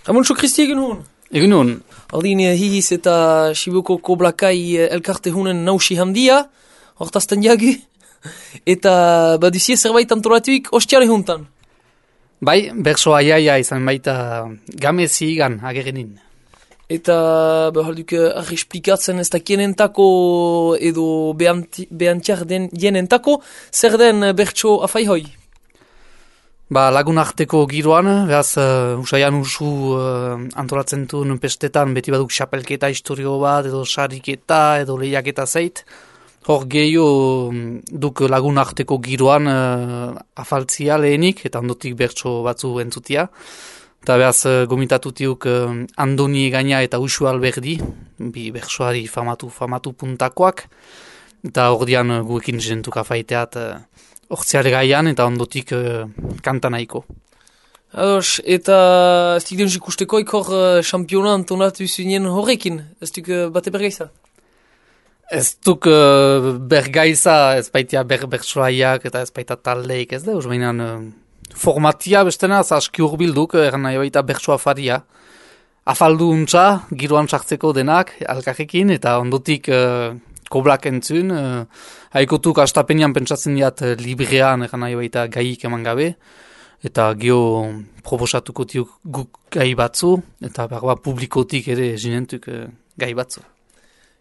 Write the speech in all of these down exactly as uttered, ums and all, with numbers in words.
Ramontxo Kristi egun hon? Egun hon. Aldin hihiz eta Sibuko Koblakai elkarte hunen nausi handia, hortazten jagu, eta baduzie zerbait antolatuik ostiare huntan. Bai, berso aiaia izan baita gamezi igan agerenin. Eta behalduk argi esplikatzen ez dakienentako edo behantiar den jenentako, zer den bertso afaihoi? Ba, lagun arteko giroan, behaz, uh, usaian usu uh, antolatzen duen pestetan, beti baduk xapelketa historio bat, edo sariketa, edo lehiaketa zeit. Hor gehiago duk lagun arteko giroan uh, afaltzia lehenik, eta ondotik bertso batzu entzutia. Eta behaz, uh, gomitatutiuk uh, Andoni Egaña eta Usu Alberdi, bi bertsoari famatu, famatu puntakoak. Eta hor dian uh, guekin jentuk afaiteat, uh, Hortziare gaian eta ondotik uh, kanta nahiko. Ados, eta ez dik denuz ikusteko ikor uh, championa antonatu zunien horrekin, ez duk uh, bate bergaiza? Ez duk uh, bergaiza, ez baitia ber, bertsoaiak eta ez baita taldeik, ez da, uz behinan uh, formatia bestena, aski urbilduk, erran nahi baita bertsoa faria. Afaldu untza, giroan sartzeko denak, alkarrekin, eta ondotik uh, koblak entzun, uh, haikotuk astapenian pentsatzen diat uh, librean egan nahi baita gaik eman gabe, eta geho proposatuko tiuk guk gai batzu, eta berba publikotik ere zinentuk uh, gai batzu.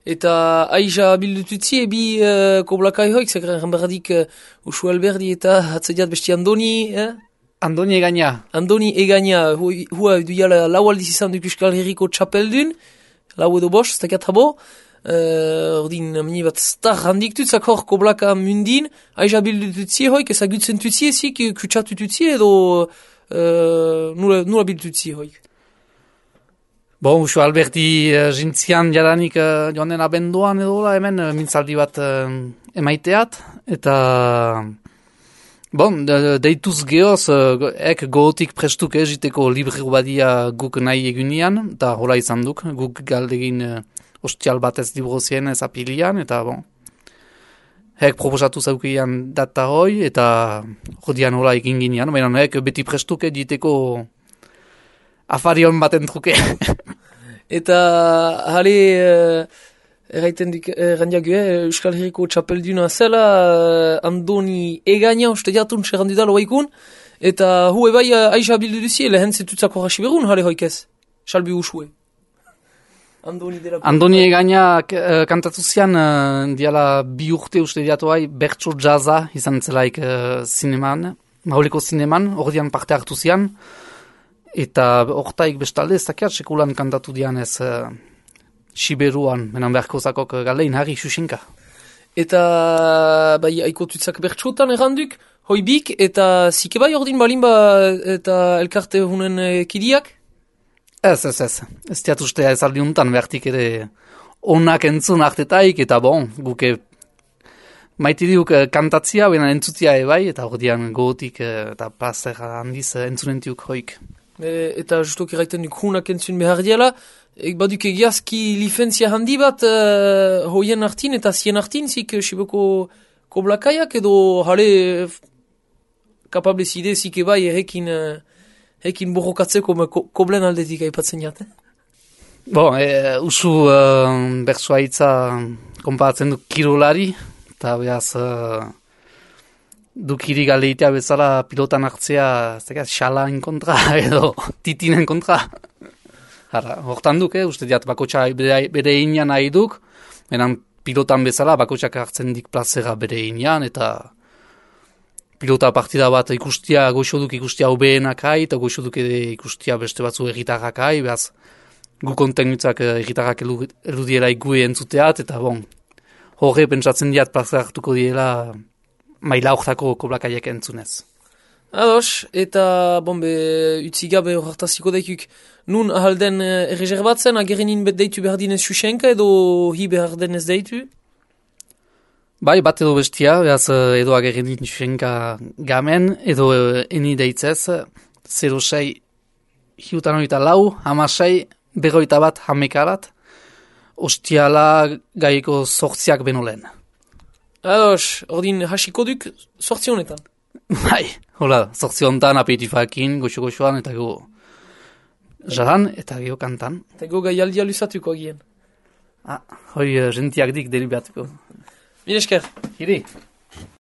Eta aiza bildututzi ebi uh, koblakai hoik, zekaren berradik uh, Usu Alberdi eta hatzediat besti Andoni, eh? Andoni Egaña. Andoni Egaña, hua du jala lau aldiz izan duk Euskal Herriko txapeldun, lau edo bost, ez dakat habo, Uh, ordin, mini bat star handik tutzak hor koblaka mundin, aiza bildututzie hoik, ezagutzen tutzie zik, kutsatututzie edo uh, nula, nula bildututzie hoik. Bon, Usu Alberti uh, jintzian jadanik uh, joan den abenduan edo la, hemen uh, mintzaldi bat uh, emaiteat, eta bon, de, deituz gehoz, uh, ek gootik prestuk egiteko librero badia guk nahi egunian, eta hola izan duk, guk galdegin uh, ostial bat ez librozien ez apilian, eta bon, hek proposatu zaukian data hoi, eta jodian hola egin ginean, baina hek beti prestuke diteko afarion baten truke. Eta hale, uh, erraiten dik, errandiagu, eh, Euskal Herriko txapelduna zela, uh, Andoni Egaña, uste diatun serrandu da loaikun, eta hu ebai uh, aiza bildu duzie, lehen zetutzako hasi berun, hale hoikez, salbi usue. Andoni, Andoni Egaña uh, kantatu zian, uh, diala bi urte uste diatuai bertso jaza izan zelaik uh, zineman, mauleko zineman, ordian parte hartu zian, eta ortaik bestalde ez dakiat sekulan kantatu dian ez uh, Siberuan, menan beharko zakok uh, galein harri xuxinka. Eta bai aikotutzak bertsotan erranduk, hoibik, eta zike bai ordin balimba eta elkarte hunen uh, kidiak? Ez, ez, ez. Ez diat ustea ez aldi untan behartik ere onak entzun artetaik, eta bon, guke maitidiuk kantatzia, baina entzutia ebai, eta ordian gogotik eta plazer handiz entzunentiuk hoik. E, eta justok erraiten duk hunak entzun behar diala, ek baduk egiazki lifentzia handi bat uh, hoien artin eta zien artin, zik Siboko koblakaiak, edo jale kapable zide zik ebai errekin... Uh, Hekin borrokatzeko ko, koblen aldetik aipatzen jate. Bon, e, usu uh, bertsua hitza konparatzen du kirolari, eta behaz uh, du kiri galeitea bezala pilotan hartzea, zekaz, xalain kontra edo titinen kontra. Hara, hortan duk, eh, uste diat bakotxa bere, bere inean nahi duk, enan pilotan bezala bakotxak hartzen dik plazera bere inean, eta pilota partida bat ikustia, goxoduk ikustia obeenak hai, eta goxoduk ikustia beste batzu egitarrak hai, behaz gu kontenutzak egitarrak eludiela igue entzuteat, eta bon, horre pentsatzen diat plaza hartuko diela maila hortako koblakaiek entzunez. Ados, eta bombe, utzi gabe horretaziko daikuk, nun ahalden erreserbatzen, agerenin bet deitu behar dinez xuxenka, edo hi behar denez deitu? Bai, bat edo bestia, behaz edo agerenin xuxenka gamen, edo eni deitzez, zero sei hiutan oita lau, hamasei, berroita bat hamekarat, ostiala gaiko sortziak benolen. Ados, ordin hasiko duk sortzionetan? Bai, hola, sortziontan apetifakin, goxo-goxoan, eta go Jahan eta geho kantan. Eta go gaialdia lusatuko agien. Ah, hoi uh, gentiak dik deribatuko. Mil esker. Hiri.